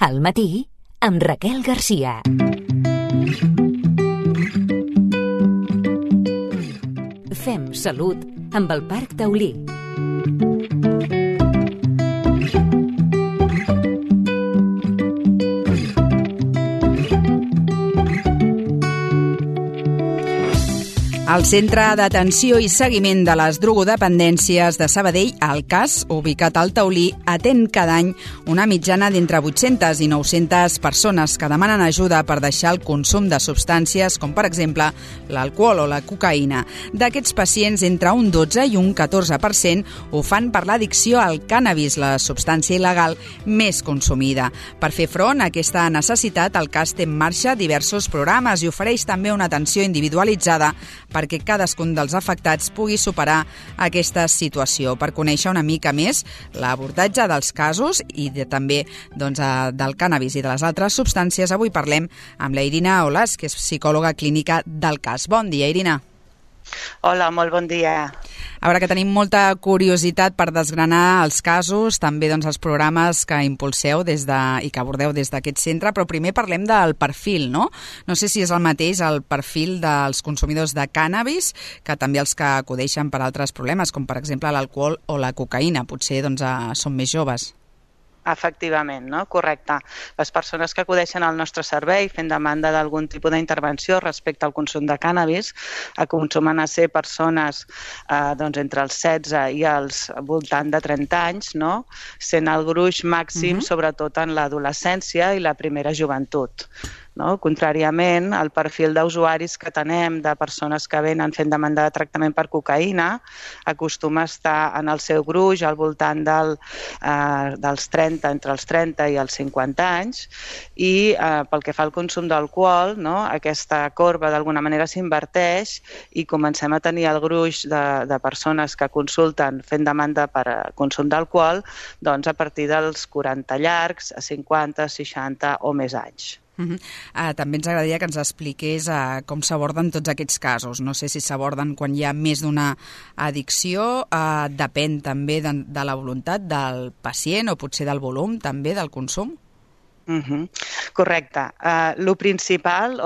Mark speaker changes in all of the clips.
Speaker 1: Al matí, amb Raquel Garcia. Fem salut amb el Parc Taulí.
Speaker 2: El Centre d'Atenció i Seguiment de les Drogodependències de Sabadell, el CAS, ubicat al Taulí, atén cada any una mitjana d'entre 800 i 900 persones que demanen ajuda per deixar el consum de substàncies com, per exemple, l'alcohol o la cocaïna. D'aquests pacients, entre un 12 i un 14% ho fan per l'addicció al cànnabis, la substància il·legal més consumida. Per fer front a aquesta necessitat, el CAS té en marxa diversos programes i ofereix també una atenció individualitzada perquè cadascun dels afectats pugui superar aquesta situació. Per conèixer una mica més l'abordatge dels casos i també del cànnabis i de les altres substàncies, avui parlem amb la Irina Olas, que és psicòloga clínica del CAS. Bon dia, Irina.
Speaker 3: Hola, molt bon dia.
Speaker 2: A veure, que tenim molta curiositat per desgranar els casos, també els programes que impulseu i que abordeu des d'aquest centre, però primer parlem del perfil, no? No sé si és el mateix el perfil dels consumidors de cànnabis que també els que acudeixen per altres problemes, com per exemple l'alcohol o la cocaïna. Potser són més joves.
Speaker 3: Efectivament, no? Correcte. Les persones que acudeixen al nostre servei fent demanda d'algun tipus d'intervenció respecte al consum de cànnabis acostumen a ser persones entre els 16 i els voltant de 30 anys, no? Sent el gruix màxim, sobretot en l'adolescència i la primera joventut. No? Contràriament, el perfil d'usuaris que tenem de persones que venen fent demanda de tractament per cocaïna acostuma a estar en el seu gruix al voltant dels 30, entre els 30 i els 50 anys i pel que fa al consum d'alcohol, no? Aquesta corba d'alguna manera s'inverteix i comencem a tenir el gruix de persones que consulten fent demanda per consum d'alcohol a partir dels 40 llargs, a 50, 60 o més anys.
Speaker 2: També ens agradaria que ens expliqués com s'aborden tots aquests casos. No sé si s'aborden quan hi ha més d'una addicció, depèn també de la voluntat del pacient o potser del volum també del consum.
Speaker 3: Correcte. El principal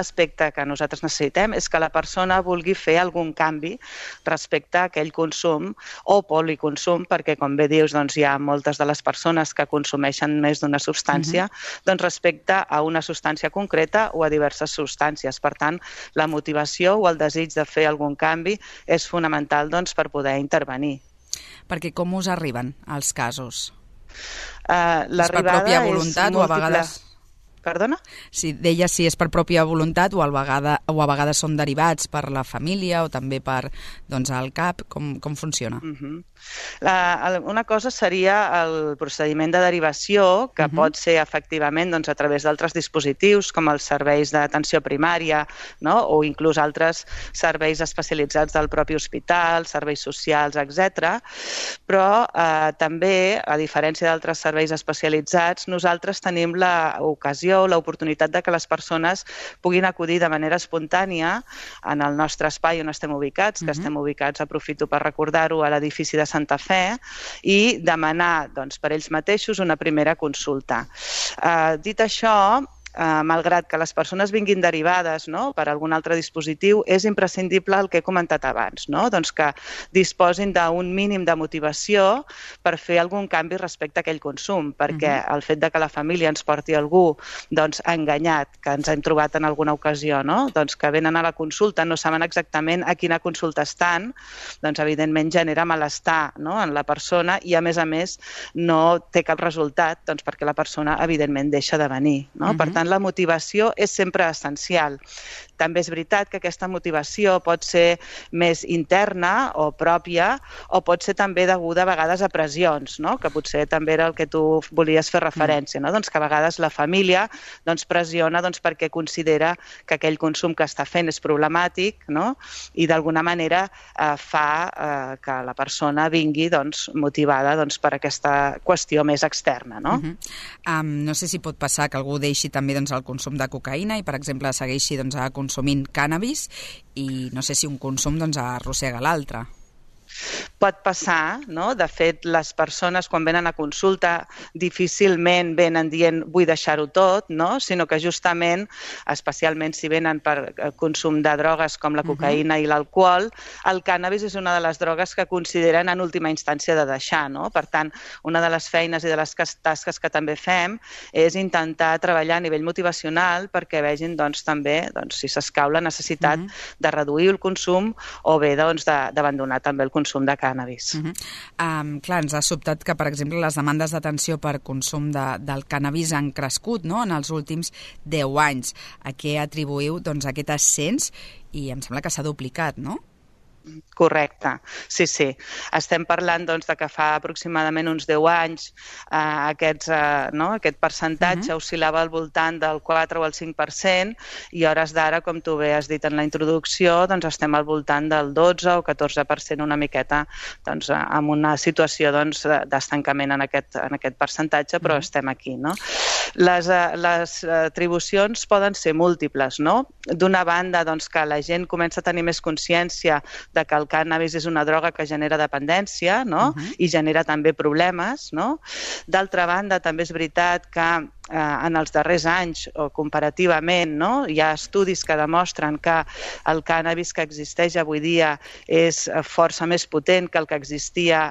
Speaker 3: aspecte que nosaltres necessitem és que la persona vulgui fer algun canvi respecte a aquell consum o policonsum, perquè, com bé dius, hi ha moltes de les persones que consumeixen més d'una substància, respecte a una substància concreta o a diverses substàncies. Per tant, la motivació o el desig de fer algun canvi és fonamental per poder intervenir.
Speaker 2: Perquè com us arriben els casos?
Speaker 3: És per pròpia voluntat o a vegades... Perdona?
Speaker 2: Si deia si és per pròpia voluntat o a vegades són derivats per la família o també per el CAP, com funciona?
Speaker 3: Una cosa seria el procediment de derivació, que pot ser efectivament a través d'altres dispositius com els serveis d'atenció primària, no? O inclús altres serveis especialitzats del propi hospital, serveis socials, etc. Però també, a diferència d'altres serveis especialitzats, nosaltres tenim l'ocasió, l'oportunitat de que les persones puguin acudir de manera espontània en el nostre espai on estem ubicats, que estem ubicats, aprofito per recordar-ho, a l'edifici de Santa Fe, i demanar per ells mateixos una primera consulta. Dit això, malgrat que les persones vinguin derivades per algun altre dispositiu, és imprescindible el que he comentat abans, que disposin d'un mínim de motivació per fer algun canvi respecte a aquell consum, perquè el fet de que la família ens porti algú enganyat, que ens hem trobat en alguna ocasió, que venen a la consulta, no saben exactament a quina consulta estan, evidentment genera malestar en la persona i, a més, no té cap resultat perquè la persona, evidentment, deixa de venir. Per tant, la motivació és sempre essencial. També és veritat que aquesta motivació pot ser més interna o pròpia o pot ser també deguda a vegades a pressions, que potser també era el que tu volies fer referència, que a vegades la família pressiona perquè considera que aquell consum que està fent és problemàtic i d'alguna manera fa que la persona vingui motivada per aquesta qüestió més externa.
Speaker 2: No sé si pot passar que algú deixi també el consum de cocaïna i, per exemple, segueixi consumint cànnabis i no sé si un consum arrossega l'altre.
Speaker 3: Pot passar, no? De fet, les persones quan venen a consulta difícilment venen dient vull deixar-ho tot, no? Sinó que justament, especialment si venen per consum de drogues com la cocaïna i l'alcohol, el cànnabis és una de les drogues que consideren en última instància de deixar, no? Per tant, una de les feines i de les tasques que també fem és intentar treballar a nivell motivacional perquè vegin també si s'escau la necessitat de reduir el consum o bé d'abandonar també el consum de cànnabis.
Speaker 2: Clar, ens ha sobtat que, per exemple, les demandes d'atenció per consum del cànnabis han crescut, no?, en els últims 10 anys. A què atribuïu aquest ascens? I em sembla que s'ha duplicat, no?
Speaker 3: Correcte, sí. Estem parlant de que fa aproximadament uns 10 anys aquest percentatge oscil·lava al voltant del 4 o el 5% i a hores d'ara, com tu bé has dit en la introducció, estem al voltant del 12 o 14%, una miqueta amb una situació d'estancament en aquest percentatge, però estem aquí, no? Les atribucions poden ser múltiples, no? D'una banda, que la gent comença a tenir més consciència de que el cànnabis és una droga que genera dependència, no? I genera també problemes, no? D'altra banda, també és veritat que en els darrers anys, o comparativament, no? Hi ha estudis que demostren que el cànnabis que existeix avui dia és força més potent que el que existia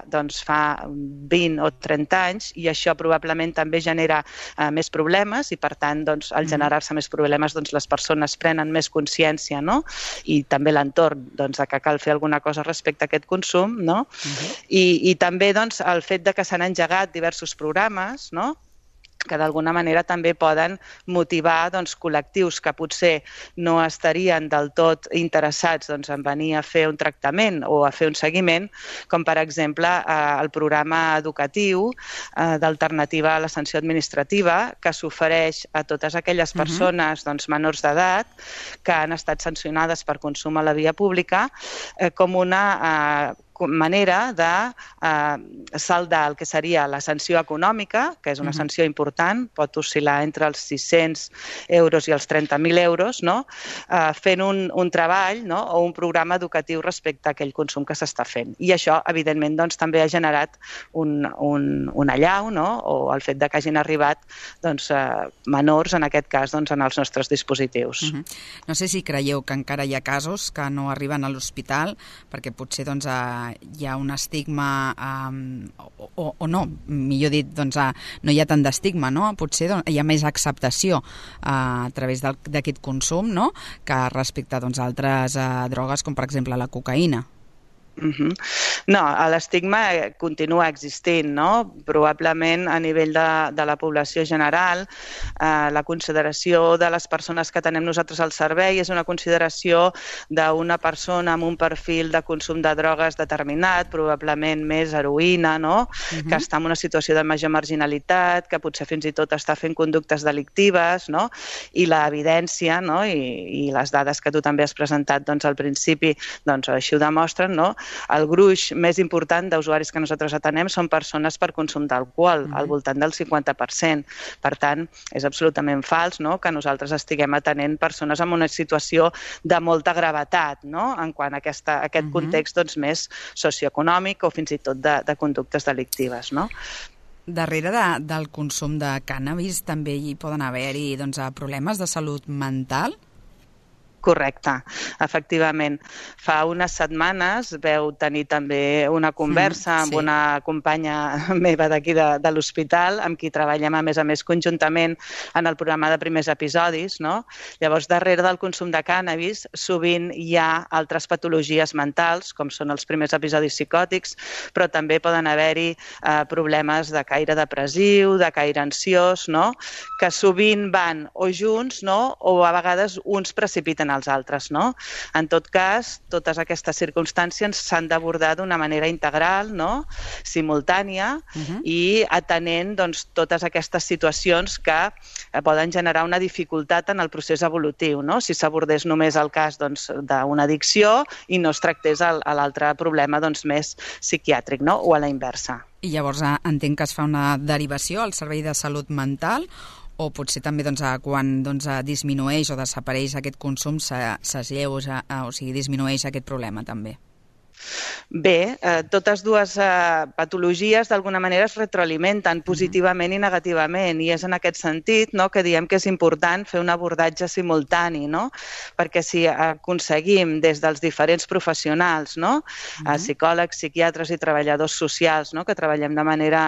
Speaker 3: fa 20 o 30 anys i això probablement també genera més problemes i, per tant, al generar-se més problemes, les persones prenen més consciència, no? I també l'entorn, que cal fer alguna cosa respecte a aquest consum, no? I també el fet de que s'han engegat diversos programes, no?, que d'alguna manera també poden motivar col·lectius que potser no estarien del tot interessats en venir a fer un tractament o a fer un seguiment, com per exemple el programa educatiu d'alternativa a la sanció administrativa que s'ofereix a totes aquelles persones menors d'edat que han estat sancionades per consum a la via pública com una manera de saldar el que seria la sanció econòmica, que és una sanció important, pot oscil·lar entre els 600 euros i els 30.000 euros, no? Fent un treball, no?, o un programa educatiu respecte a aquell consum que s'està fent. I això, evidentment, també ha generat un allau, no?, o el fet de que hagin arribat menors, en aquest cas, en els nostres dispositius.
Speaker 2: No sé si creieu que encara hi ha casos que no arriben a l'hospital perquè potser hi ha un estigma o no, millor dit, no hi ha tant d'estigma, no? Potser hi ha més acceptació a través d'aquest consum, no?, que respecte a altres drogues com per exemple la cocaïna.
Speaker 3: No, l'estigma continua existint, no? Probablement a nivell de la població general la consideració de les persones que tenem nosaltres al servei és una consideració d'una persona amb un perfil de consum de drogues determinat, probablement més heroïna, no? Que està en una situació de major marginalitat, que potser fins i tot està fent conductes delictives, no? I l'evidència, no?, i les dades que tu també has presentat al principi, així ho demostren, no? El gruix més important d'usuaris que nosaltres atenem són persones per consum d'alcohol, al voltant del 50%. Per tant, és absolutament fals, no?, que nosaltres estiguem atenent persones en una situació de molta gravetat, no?, en quant a aquest context més socioeconòmic o fins i tot de conductes delictives, no?
Speaker 2: Darrere del consum de cànnabis també hi poden haver-hi problemes de salut mental?
Speaker 3: Correcte, efectivament. Fa unes setmanes veu tenir també una conversa amb una companya meva d'aquí de l'hospital, amb qui treballem a més conjuntament en el programa de primers episodis, no? Llavors, darrere del consum de cànnabis sovint hi ha altres patologies mentals, com són els primers episodis psicòtics, però també poden haver-hi problemes de caire depressiu, de caire ansiós, no?, que sovint van o junts, no?, o a vegades uns precipiten als altres, no? En tot cas, totes aquestes circumstàncies s'han d'abordar d'una manera integral, no?, simultània i atenent totes aquestes situacions que poden generar una dificultat en el procés evolutiu, no? Si s'abordés només el cas d'una addicció i no es tractés l'altre problema més psiquiàtric, no?, o a la inversa.
Speaker 2: I llavors entenc que es fa una derivació al servei de salut mental o potser també quan disminueix o desapareix aquest consum s'asleuja, o sigui, disminueix aquest problema també?
Speaker 3: Bé, totes dues patologies d'alguna manera es retroalimenten positivament i negativament, i és en aquest sentit, no, que diem que és important fer un abordatge simultani, no? Perquè si aconseguim des dels diferents professionals, no, psicòlegs, psiquiatres i treballadors socials, no, que treballem de manera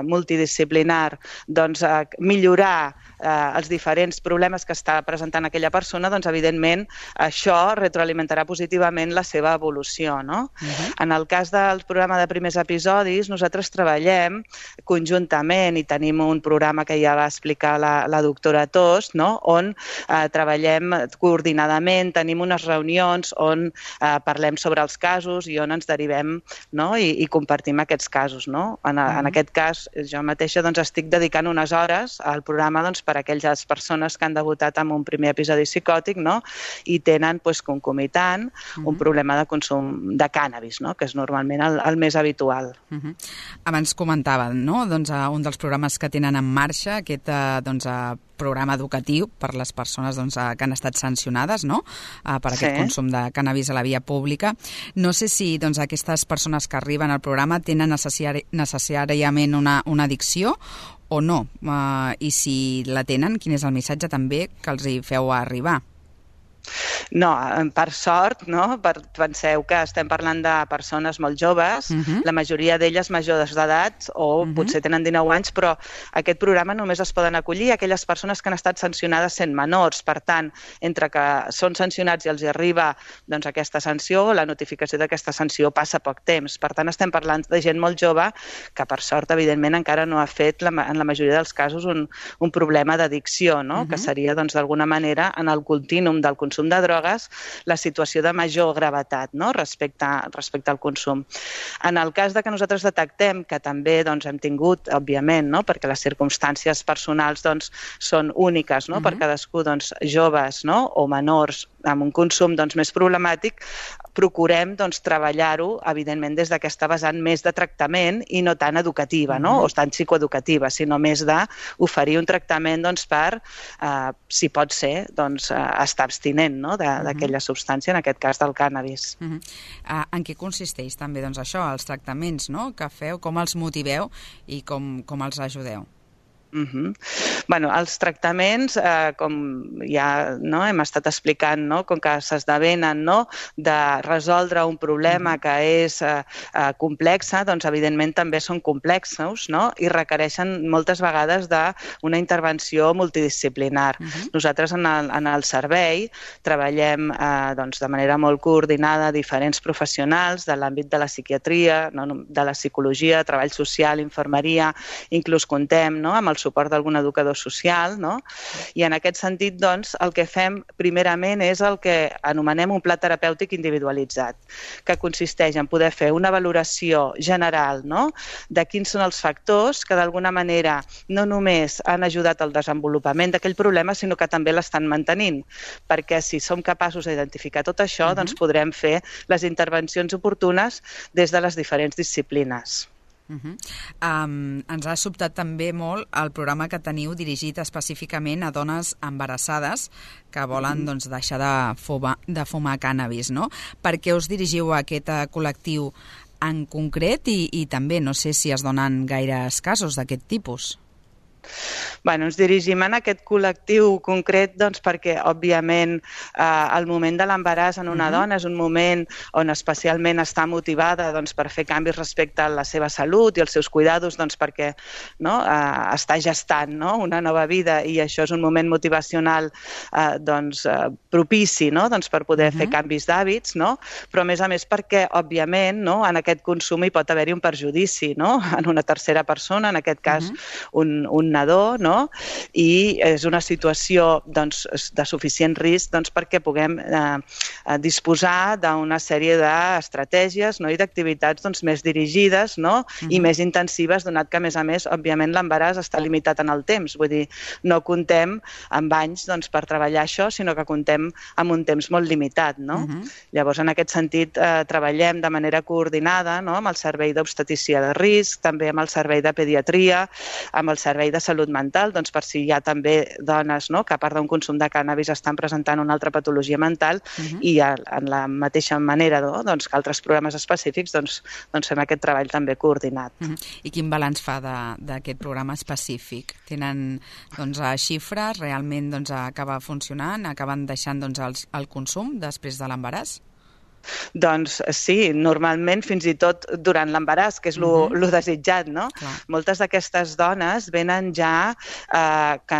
Speaker 3: multidisciplinar, doncs millorar els diferents problemes que està presentant aquella persona, doncs evidentment això retroalimentarà positivament la seva evolució, no? En el cas del programa de primers episodis, nosaltres treballem conjuntament i tenim un programa que ja va explicar la doctora Tost, no? On treballem coordinadament, tenim unes reunions on parlem sobre els casos i on ens derivem, no? I compartim aquests casos, no? En aquest cas, jo mateixa doncs, estic dedicant unes hores al programa doncs, per a aquelles persones que han debutat amb un primer episodi psicòtic, no? I tenen doncs, concomitant un problema de consum de cànnabis, no? Que és normalment el més habitual.
Speaker 2: Abans comentaven, no? Doncs, un dels programes que tenen en marxa, aquest doncs, programa educatiu per les persones doncs, que han estat sancionades, no? Per aquest consum de cànnabis a la via pública. No sé si doncs, aquestes persones que arriben al programa tenen necessàriament una addicció o no, i si la tenen, quin és el missatge també que els hi feu arribar?
Speaker 3: No, per sort, no? Penseu que estem parlant de persones molt joves, la majoria d'elles majors d'edat o potser tenen 19 anys, però aquest programa només es poden acollir aquelles persones que han estat sancionades sent menors. Per tant, entre que són sancionats i els arriba doncs, aquesta sanció, la notificació d'aquesta sanció passa poc temps. Per tant, estem parlant de gent molt jove que, per sort, evidentment, encara no ha fet, en la majoria dels casos, un problema d'addicció, no? Que seria, doncs, d'alguna manera, en el contínum del consum de drogues, la situació de major gravetat, no? respecte al consum. En el cas de que nosaltres detectem que també doncs, hem tingut, òbviament, no? Perquè les circumstàncies personals doncs, són úniques, no? Per cadascú, doncs, joves, no? O menors amb un consum doncs, més problemàtic, procurem doncs, treballar-ho, evidentment, des d'aquesta vessant més de tractament i no tan educativa, no? O tan psicoeducativa, sinó més d'oferir un tractament doncs, per, si pot ser, doncs, estar abstinent, no? D'aquella substància, en aquest cas del cànnabis.
Speaker 2: En què consisteix també doncs, això, els tractaments, no? Que feu, com els motiveu i com els ajudeu?
Speaker 3: Bueno, els tractaments, com ja no, hem estat explicant, no, com que s'esdevenen no, de resoldre un problema que és complex, doncs evidentment també són complexos, no, i requereixen moltes vegades d'una intervenció multidisciplinar. Nosaltres en el servei treballem doncs, de manera molt coordinada diferents professionals de l'àmbit de la psiquiatria, no, de la psicologia, treball social, infermeria, inclús contem no, amb el suport d'algun educador social, no? I en aquest sentit, doncs, el que fem primerament és el que anomenem un pla terapèutic individualitzat, que consisteix en poder fer una valoració general, no? De quins són els factors que d'alguna manera no només han ajudat al desenvolupament d'aquell problema, sinó que també l'estan mantenint, perquè si som capaços d'identificar tot això, doncs podrem fer les intervencions oportunes des de les diferents disciplines.
Speaker 2: Ens ha sobtat també molt el programa que teniu dirigit específicament a dones embarassades que volen doncs, deixar de fumar cànnabis, no? Per què us dirigiu a aquest col·lectiu en concret i també no sé si es donen gaires casos d'aquest tipus?
Speaker 3: Bueno, ens dirigim en aquest col·lectiu concret doncs, perquè, òbviament, el moment de l'embaràs en una dona és un moment on especialment està motivada doncs, per fer canvis respecte a la seva salut i els seus cuidados doncs, perquè no, està gestant no, una nova vida i això és un moment motivacional doncs, propici no, doncs, per poder fer canvis d'hàbits, no? Però a més perquè, òbviament, no, en aquest consum hi pot haver-hi un perjudici no? En una tercera persona, en aquest cas un nadó, no? I és una situació doncs, de suficient risc doncs, perquè puguem disposar d'una sèrie d'estratègies no? I d'activitats doncs, més dirigides no? I més intensives, donat que, a més, òbviament, l'embaràs està limitat en el temps. Vull dir, no comptem amb anys doncs, per treballar això, sinó que comptem amb un temps molt limitat. No? Llavors, en aquest sentit, treballem de manera coordinada no? Amb el servei d'obstetrícia de risc, també amb el servei de pediatria, amb el servei de salut mental, mental, doncs per si hi ha també dones, no?, que a part d'un consum de cànnabis estan presentant una altra patologia mental i en la mateixa manera, no?, doncs que altres programes específics doncs fem aquest treball també coordinat.
Speaker 2: I quin balanç fa d'aquest programa específic? Tenen xifres? Realment acaba funcionant? Acaben deixant el consum després de l'embaràs?
Speaker 3: Doncs sí, normalment fins i tot durant l'embaràs, que és lo desitjat, no? Moltes d'aquestes dones venen ja que,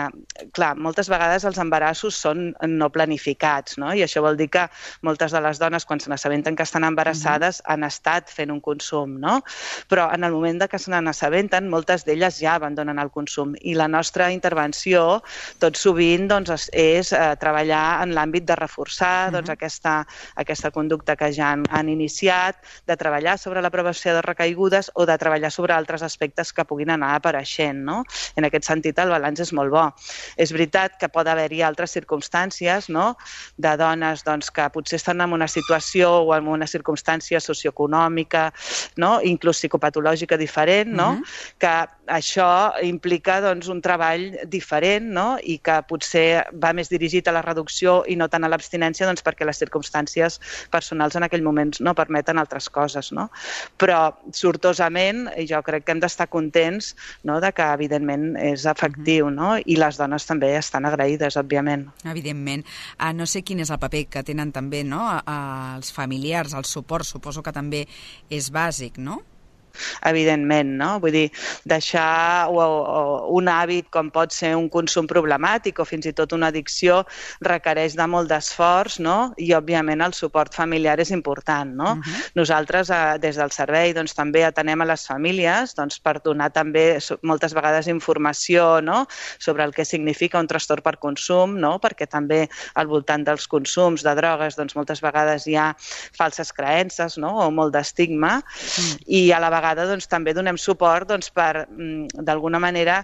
Speaker 3: clar, moltes vegades els embarassos són no planificats, no? I això vol dir que moltes de les dones, quan se n'assabenten que estan embarassades, han estat fent un consum, no? Però en el moment que se n'assabenten, moltes d'elles ja abandonen el consum. I la nostra intervenció, tot sovint, és treballar en l'àmbit de reforçar aquesta conducta que ja han iniciat, de treballar sobre la prevenció de recaigudes o de treballar sobre altres aspectes que puguin anar apareixent, no? En aquest sentit, el balanç és molt bo. És veritat que pot haver-hi altres circumstàncies, no?, de dones que potser estan en una situació o en una circumstància socioeconòmica, no?, inclús psicopatològica diferent, no?, que això implica un treball diferent, no?, i que potser va més dirigit a la reducció i no tant a l'abstinència, perquè les circumstàncies personals en aquell moment no permeten altres coses, no? Però, sortosament, jo crec que hem d'estar contents, no?, de que, evidentment, és efectiu, no?, i les dones també estan agraïdes, òbviament.
Speaker 2: Evidentment. No sé quin és el paper que tenen també, no?, els familiars, el suport, suposo que també és bàsic, no?
Speaker 3: Evidentment, no? Vull dir, deixar un hàbit com pot ser un consum problemàtic o fins i tot una addicció requereix de molt d'esforç, no? I, òbviament, el suport familiar és important, no? Nosaltres, des del servei, també atenem a les famílies per donar també moltes vegades informació, no?, sobre el que significa un trastorn per consum, no?, perquè també al voltant dels consums de drogues moltes vegades hi ha falses creences, no?, o molt d'estigma, i a la vegada també donem suport per, d'alguna manera,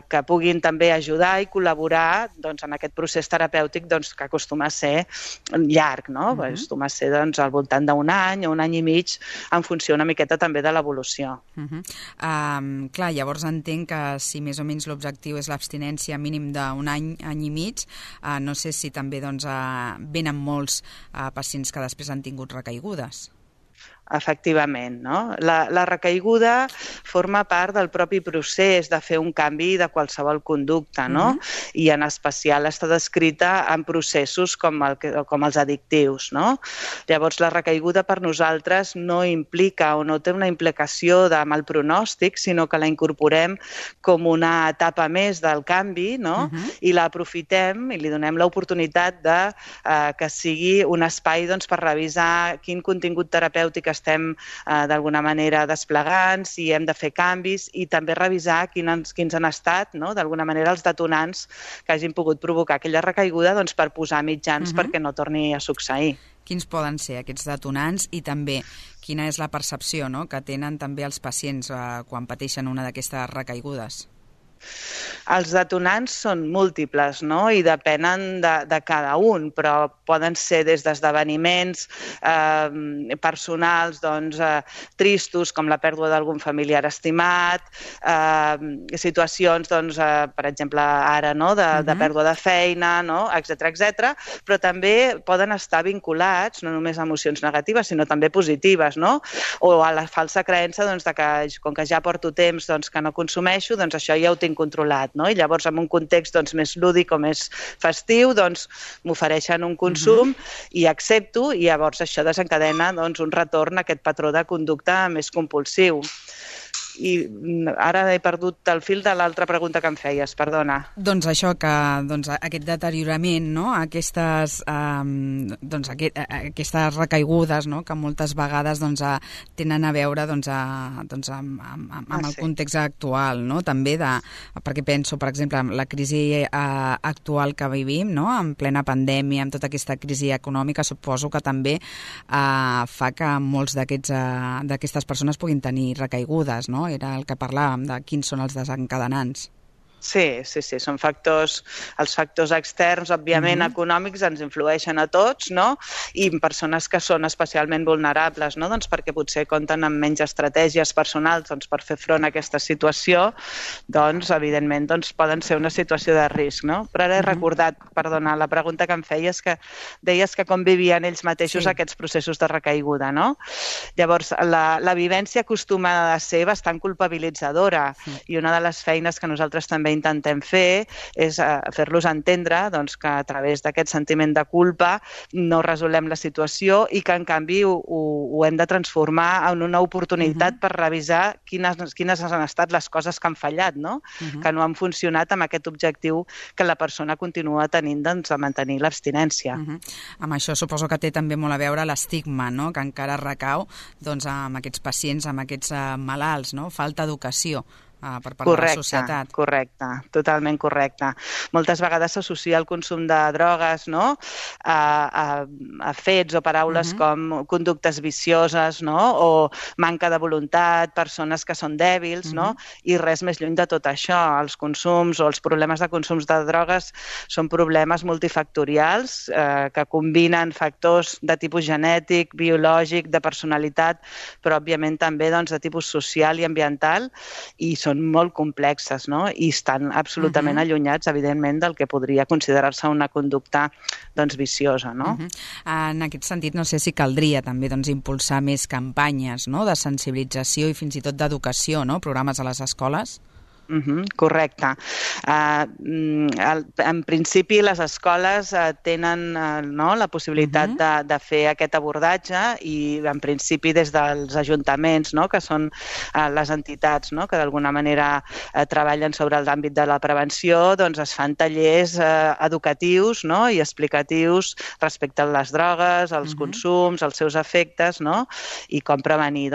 Speaker 3: que puguin també ajudar i col·laborar en aquest procés terapèutic que acostuma a ser llarg, no? Acostuma a ser al voltant d'un any o un any i mig, en funció una miqueta també de l'evolució.
Speaker 2: Clar, llavors entenc que si més o menys l'objectiu és l'abstinència mínim d'un any, any i mig, no sé si també venen molts pacients que després han tingut recaigudes.
Speaker 3: Efectivament, no? La recaiguda forma part del propi procés de fer un canvi de qualsevol conducta, no? I en especial està descrita en processos com els addictius, no? Llavors, la recaiguda per nosaltres no implica o no té una implicació de mal pronòstic, sinó que la incorporem com una etapa més del canvi, no? I l'aprofitem i li donem l'oportunitat que sigui un espai per revisar quin contingut terapèutic estem d'alguna manera desplegant, si hem de fer canvis i també revisar quins han estat, no?, d'alguna manera els detonants que hagin pogut provocar aquella recaiguda per posar mitjans perquè no torni a succeir.
Speaker 2: Quins poden ser aquests detonants i també quina és la percepció, no?, que tenen també els pacients quan pateixen una d'aquestes recaigudes?
Speaker 3: Els detonants són múltiples, no?, i depenen de cada un, però poden ser des d'esdeveniments personals tristos, com la pèrdua d'algun familiar estimat, situacions, per exemple, ara, no?, de pèrdua de feina, no?, etcètera, però també poden estar vinculats no només a emocions negatives, sinó també positives, no?, o a la falsa creença que, com que ja porto temps que no consumeixo, això ja ho tinc controlat, no? I llavors, en un context més lúdic o més festiu, m'ofereixen un consum i accepto, i llavors això desencadena un retorn a aquest patró de conducta més compulsiu. I ara he perdut el fil de l'altra pregunta que em feies, perdona.
Speaker 2: Doncs això, que aquest deteriorament, no?, aquestes recaigudes, no?, que moltes vegades tenen a veure amb el context actual, no?, també perquè penso, per exemple, en la crisi actual que vivim, no?, en plena pandèmia, amb tota aquesta crisi econòmica, suposo que també fa que molts d'aquestes persones puguin tenir recaigudes, no? Era el que parlàvem, de quins són els desencadenants.
Speaker 3: Sí, són els factors externs, òbviament econòmics, ens influeixen a tots, no? I persones que són especialment vulnerables, no? Doncs perquè potser compten amb menys estratègies personals per fer front a aquesta situació, doncs evidentment poden ser una situació de risc, no? Però ara he recordat, perdona, la pregunta que em feies, que deies que com vivien ells mateixos aquests processos de recaiguda, no? Llavors, la vivència acostuma a ser bastant culpabilitzadora i una de les feines que nosaltres també intentem fer és fer-los entendre que a través d'aquest sentiment de culpa no resolem la situació i que en canvi ho hem de transformar en una oportunitat per revisar quines han estat les coses que han fallat, no? Que no han funcionat amb aquest objectiu que la persona continua tenint de mantenir l'abstinència.
Speaker 2: Amb això suposo que té també molt a veure l'estigma, no? Que encara recau amb aquests pacients, amb aquests malalts, no? Falta educació per part de la societat.
Speaker 3: Correcte, totalment correcte. Moltes vegades s'associa el consum de drogues, no?, a fets o paraules com conductes vicioses, no?, o manca de voluntat, persones que són dèbils, no?, i res més lluny de tot això. Els consums o els problemes de consums de drogues són problemes multifactorials que combinen factors de tipus genètic, biològic, de personalitat, però òbviament també de tipus social i ambiental, i són molt complexes, no? I estan absolutament allunyats, evidentment, del que podria considerar-se una conducta viciosa, no?
Speaker 2: En aquest sentit, no sé si caldria també impulsar més campanyes de sensibilització i fins i tot d'educació, no? Programes a les escoles.
Speaker 3: Correcte. En principi, les escoles tenen la possibilitat de fer aquest abordatge i, en principi, des dels ajuntaments, que són les entitats que d'alguna manera treballen sobre l'àmbit de la prevenció, es fan tallers educatius i explicatius respecte a les drogues, als consums, als seus efectes, i com prevenir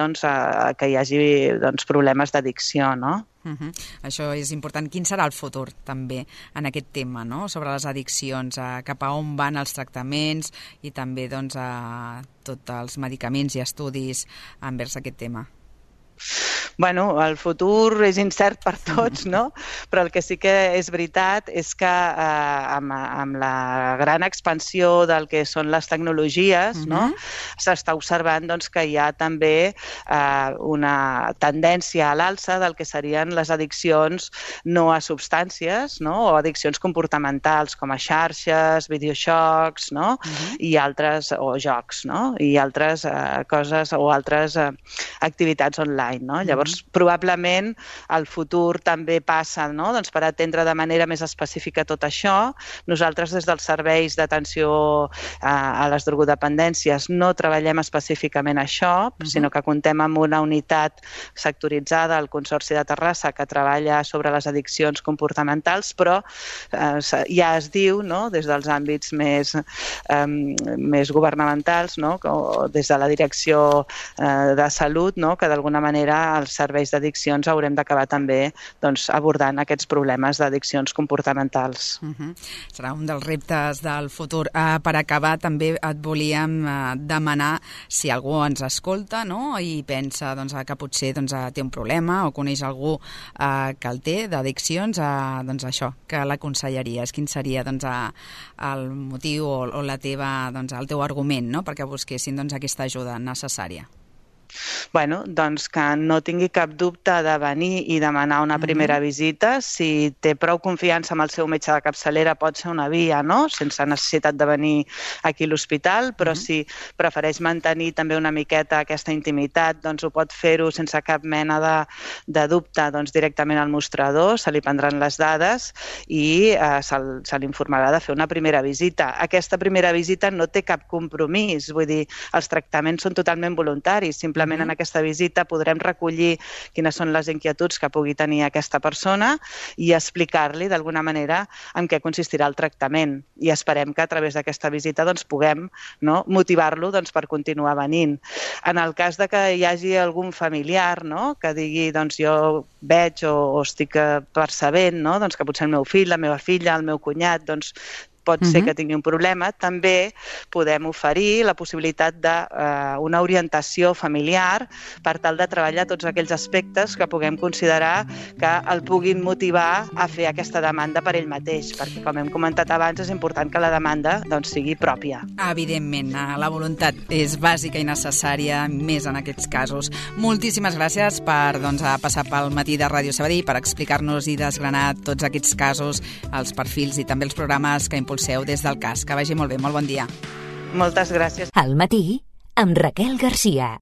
Speaker 3: que hi hagi problemes d'addicció, no?
Speaker 2: Això és important. Quin serà el futur, també, en aquest tema, no?, sobre les addiccions, cap a on van els tractaments i també tots els medicaments i estudis envers aquest tema?
Speaker 3: Bueno, el futur és incert per tots, no? Però el que sí que és veritat és que amb la gran expansió del que són les tecnologies, s'està observant que hi ha també una tendència a l'alça del que serien les addiccions no a substàncies, o addiccions comportamentals com a xarxes, videojocs, i altres, o jocs, i altres coses o altres activitats online, no? Llavors, probablement el futur també passa per atendre de manera més específica tot això. Nosaltres, des dels serveis d'atenció a les drogodependències, no treballem específicament això, sinó que contem amb una unitat sectoritzada al Consorci de Terrassa que treballa sobre les addiccions comportamentals, però ja es diu, des dels àmbits més governamentals, o des de la Direcció de Salut, que d'alguna manera els serveis d'addiccions haurem d'acabar també abordant aquests problemes d'addiccions comportamentals.
Speaker 2: Serà un dels reptes del futur. Per acabar, també et volíem demanar si algú ens escolta i pensa que potser té un problema o coneix algú que el té d'addiccions, això, que l'aconsellaries? Quin seria el motiu o el teu argument perquè busquessin aquesta ajuda necessària?
Speaker 3: Bueno, que no tingui cap dubte de venir i demanar una primera visita. Si té prou confiança amb el seu metge de capçalera, pot ser una via, sense necessitat de venir aquí a l'hospital, però si prefereix mantenir també una miqueta aquesta intimitat, ho pot fer-ho sense cap mena de dubte directament al mostrador, se li prendran les dades i se l'informarà de fer una primera visita. Aquesta primera visita no té cap compromís, vull dir, els tractaments són totalment voluntaris, simplement en aquesta visita podrem recollir quines són les inquietuds que pugui tenir aquesta persona i explicar-li d'alguna manera en què consistirà el tractament. I esperem que a través d'aquesta visita puguem motivar-lo per continuar venint. En el cas de que hi hagi algun familiar que digui jo veig o estic percebent que potser el meu fill, la meva filla, el meu cunyat pot ser que tingui un problema, també podem oferir la possibilitat d'una orientació familiar per tal de treballar tots aquells aspectes que puguem considerar que el puguin motivar a fer aquesta demanda per ell mateix, perquè, com hem comentat abans, és important que la demanda sigui pròpia.
Speaker 2: Evidentment, la voluntat és bàsica i necessària, més en aquests casos. Moltíssimes gràcies per passar pel matí de Ràdio Sabadell, per explicar-nos i desgranar tots aquests casos, els perfils i també els programes que impulseu des del CAS. Que vagi molt bé, molt bon dia.
Speaker 3: Moltes gràcies.
Speaker 1: Al matí, amb Raquel Garcia.